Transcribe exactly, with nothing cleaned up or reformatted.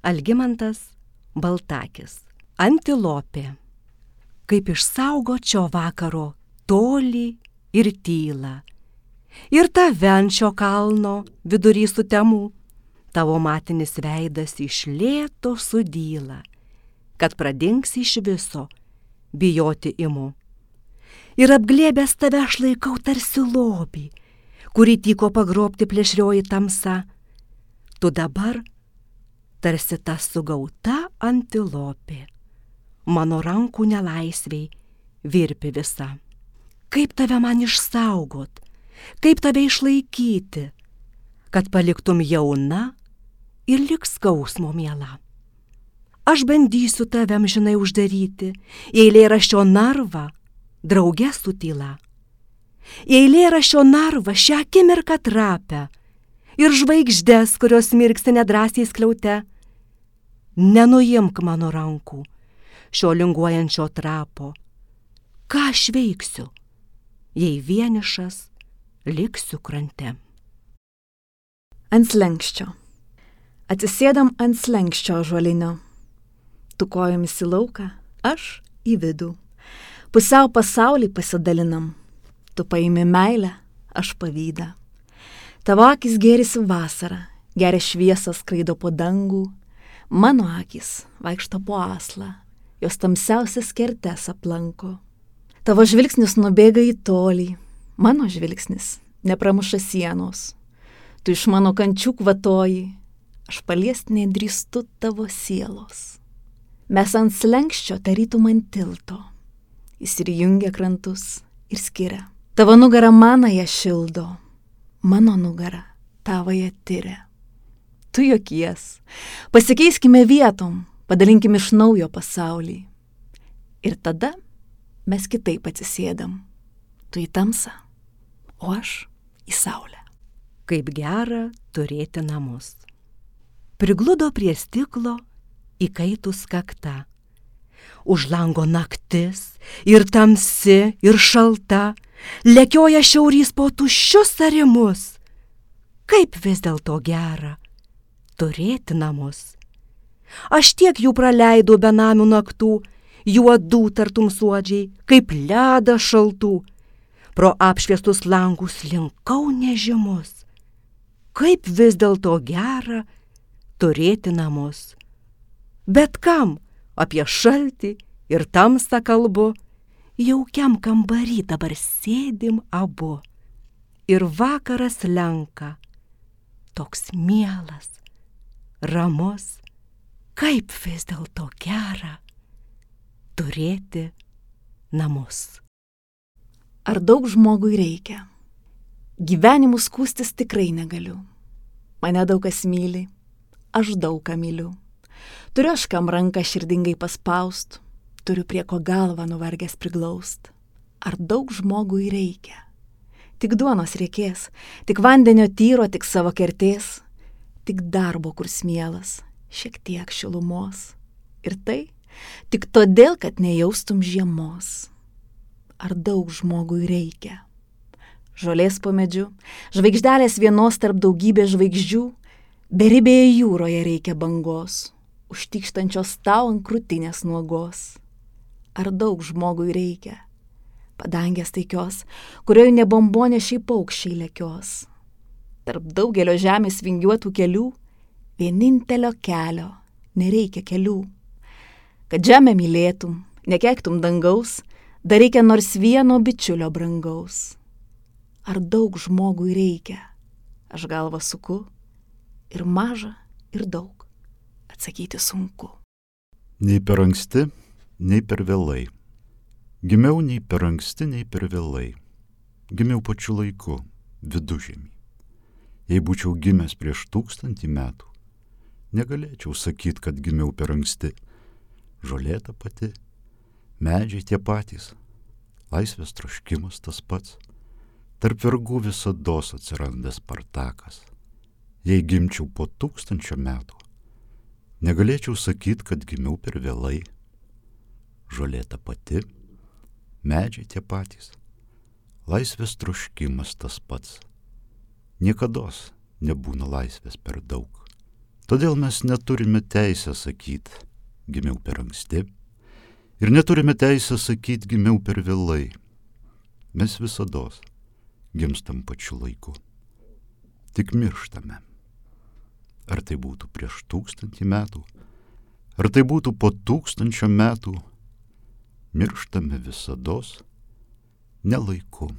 Algimantas Baltakis. Antilopė. Kaip išsaugočio vakaro tolį ir tylą. Ir tave ant šio kalno vidury sutemų, tavo matinis veidas iš lėto sudyla, kad pradingsi iš viso, bijoti imu. Ir apglėbęs tave aš laikau tarsi lobį, kurį tyko pagrobti plėšrioji tamsa. Tu dabar tarsi ta sugauta antilopė, mano rankų nelaisviai virpi visa. Kaip tave man išsaugot, kaip tave išlaikyti, kad paliktum jauna ir lik skausmo miela. Aš bandysiu tave amžinai uždaryti į eilėraščio narvą, drauge su tyla. Į eilėraščio narvą šią akimirką trapę ir žvaigždes, kurios mirksi nedrąsiai skliaute. Nenuimk mano rankų šio linguojančio trapo. Ką aš veiksiu, jei vienišas liksiu krante? Ant slenksčio. Atsisėdam ant slenksčio ąžuolinio. Tu kojomis į lauką, aš į vidų. Pusiau pasaulį pasidalinam. Tu paimi meilę, aš pavydą. Tavo akis gėrisi vasarą, geria šviesą skraido po dangų. Mano akis vaikšto po aslą, jos tamsiausias kertes aplanko. Tavo žvilgsnis nubėga į tolį, mano žvilgsnis nepramuša sienos. Tu iš mano kančių kvatoji, aš paliest nedrįstu tavo sielos. Mes ant slenksčio tarytum ant tilto, jis ir jungia krantus ir skiria. Tavo nugara manąją šildo, mano nugara tavąją tiria. Tu juokies, pasikeiskime vietom, padalinkim iš naujo pasaulį. Ir tada mes kitaip atsisėdam, tu į tamsą, o aš į saulę. Kaip gera turėti namus. Prigludo prie stiklo įkaitus kakta. Už lango naktis ir tamsi ir šalta, lekioja šiaurys po tuščius arimus. Kaip vis dėlto gera turėti namus. Aš tiek jų praleidau benamių naktų, juodų tartum suodžiai, kaip ledą šaltų. Pro apšviestus langus linkau nežymus. Kaip vis dėlto gera turėti namus. Bet kam apie šaltį ir tamsą kalbu, jaukiam kambarį dabar sėdim abu. Ir vakaras lenka, toks mielas, ramus, kaip vis dėlto gera turėti namus. Ar daug žmogui reikia? Gyvenimu skųstis tikrai negaliu. Mane daug kas myli, aš daug ką myliu. Turiu aš kam ranką širdingai paspaust, turiu prie ko galvą nuvargęs priglaust. Ar daug žmogui reikia? Tik duonos reikės, tik vandenio tyro, tik savo kertės, tik darbo, kur smielas, šiek tiek šilumos. Ir tai tik todėl, kad nejaustum žiemos. Ar daug žmogui reikia? Žolės po medžiu, žvaigždelės vienos tarp daugybės žvaigždžių, beribėje jūroje reikia bangos, užtykštančios tau ant krūtinės nuogos. Ar daug žmogui reikia? Padangės taikios, kurioje ne bombonešiai paukščiai lekios. Tarp daugelio žemės vingiuotų kelių, vienintelio kelio nereikia kelių. Kad žemę mylėtum, nekeiktum dangaus, dar reikia nors vieno bičiulio brangaus. Ar daug žmogui reikia? Aš galvą suku, ir maža, ir daug. Atsakyti sunku. Nei per anksti, nei per vėlai. Gimiau nei per anksti, nei per vėlai. Gimiau pačiu laiku, vidužiemį. Jei būčiau gimęs prieš tūkstantį metų, negalėčiau sakyti, kad gimiau per anksti. Žolė ta pati, medžiai tie patys, laisvės troškimas tas pats. Tarp vergų visados atsiranda Spartakas. Jei gimčiau po tūkstančio metų, negalėčiau sakyti, kad gimiau per vėlai. Žolė ta pati, medžiai tie patys, laisvės troškimas tas pats. Niekados nebūna laisvės per daug. Todėl mes neturime teisę sakyti, gimiau per anksti, ir neturime teisę sakyti, gimiau per vėlai. Mes visados gimstam pačiu laiku. Tik mirštame. Ar tai būtų prieš tūkstantį metų, ar tai būtų po tūkstančio metų, mirštame visados ne laiku.